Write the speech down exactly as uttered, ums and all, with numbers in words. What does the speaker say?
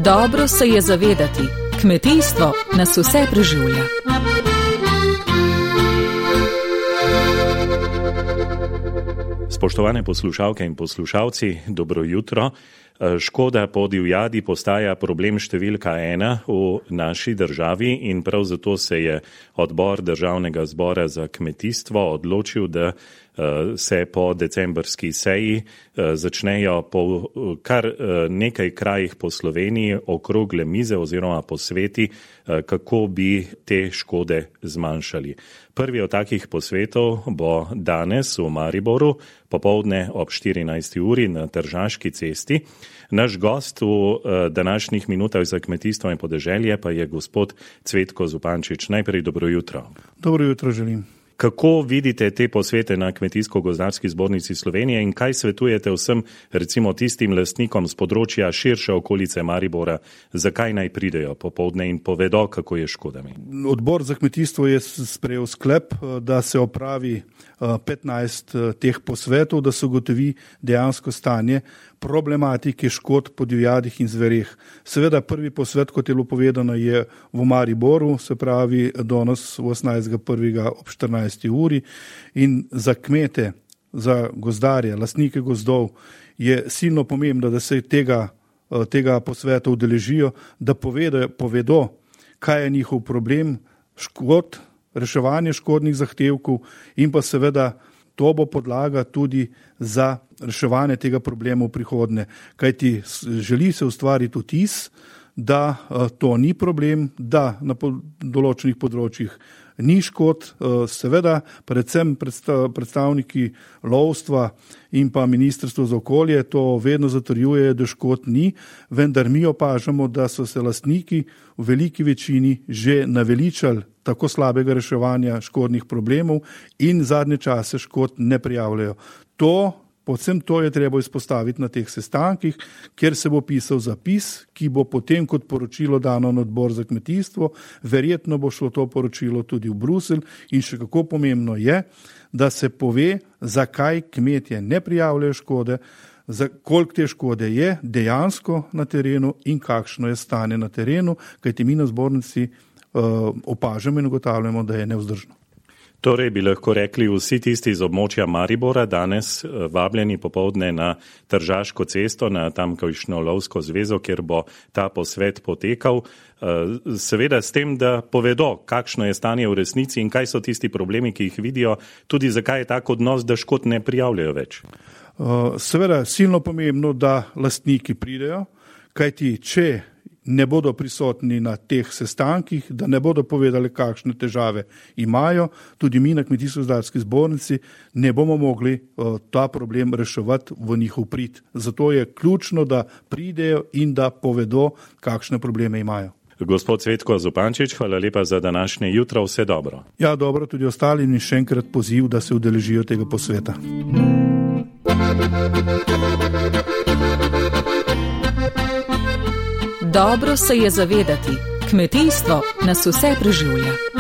Dobro se je zavedati, kmetijstvo nas vse preživlja. Spoštovane poslušalke in poslušalci, dobro jutro. Škoda po divjadi postaja problem številka ena v naši državi in prav zato se je odbor Državnega zbora za kmetijstvo odločil, da se po decembrski seji začnejo po kar nekaj krajih po Sloveniji okrogle mize oziroma posveti, kako bi te škode zmanjšali. Prvi od takih posvetov bo danes v Mariboru, popoldne ob štirinajsti uri na Tržaški cesti. Naš gost v današnjih minutah za kmetijstvo in podeželje pa je gospod Cvetko Zupančič. Najprej dobro jutro. Dobro jutro želim. Kako vidite te posvete na Kmetijsko-gozdarski zbornici Slovenije in kaj svetujete vsem, recimo tistim lastnikom z področja širše okolice Maribora, zakaj naj pridejo popoldne in povedo, kako je škodami? Odbor za kmetijstvo je sprejel sklep, da se opravi petnajst teh posvetov, da se ugotovi dejansko stanje problematike škod po divjadih in zvereh. Seveda prvi posvet, kot je bilo povedano, je v Mariboru, se pravi danes osemnajstega prvega ob štirinajsti uri in za kmete, za gozdarje, lastnike gozdov je silno pomembno, da se tega, tega posveta udeležijo, da povedo, povedo, kaj je njihov problem, škod, reševanje škodnih zahtevkov in pa seveda to bo podlaga tudi za reševanje tega problema v prihodnje. Kajti želi se ustvariti vtis, da to ni problem, da na določenih področjih ni škod, seveda predvsem predstavniki lovstva in pa Ministrstvo za okolje to vedno zatrjuje, da škod ni, vendar mi opažamo, da so se lastniki v veliki večini že naveličali tako slabega reševanja škodnih problemov in zadnje čase škod ne prijavljajo. To Povsem to je treba izpostaviti na teh sestankih, kjer se bo pisal zapis, ki bo potem kot poročilo dano na odbor za kmetijstvo, verjetno bo šlo to poročilo tudi v Bruselj in še kako pomembno je, da se pove, zakaj kmetje ne prijavljajo škode, za koliko te škode je dejansko na terenu in kakšno je stanje na terenu, kajti mi na zbornici uh, opažamo in ugotavljamo, da je nevzdržno. Torej bi lahko rekli vsi tisti iz območja Maribora danes vabljeni popoldne na Tržaško cesto, na tamkajšnjo lovsko zvezo, kjer bo ta posvet potekal. Seveda s tem, da povedo, kakšno je stanje v resnici in kaj so tisti problemi, ki jih vidijo, tudi zakaj je tak odnos, da škod ne prijavljajo več. Seveda silno pomembno, da lastniki pridejo, kajti če ne bodo prisotni na teh sestankih, da ne bodo povedali, kakšne težave imajo, tudi mi na Kmetijsko-gozdarski zbornici ne bomo mogli uh, ta problem reševati v njihov prid. Zato je ključno, da pridejo in da povedo, kakšne probleme imajo. Gospod Cvetko Zupančič, hvala lepa za današnje jutro, vse dobro. Ja, dobro, tudi ostali in še enkrat poziv, da se udeležijo tega posveta. Dobro se je zavedati, kmetijstvo nas vse preživlja.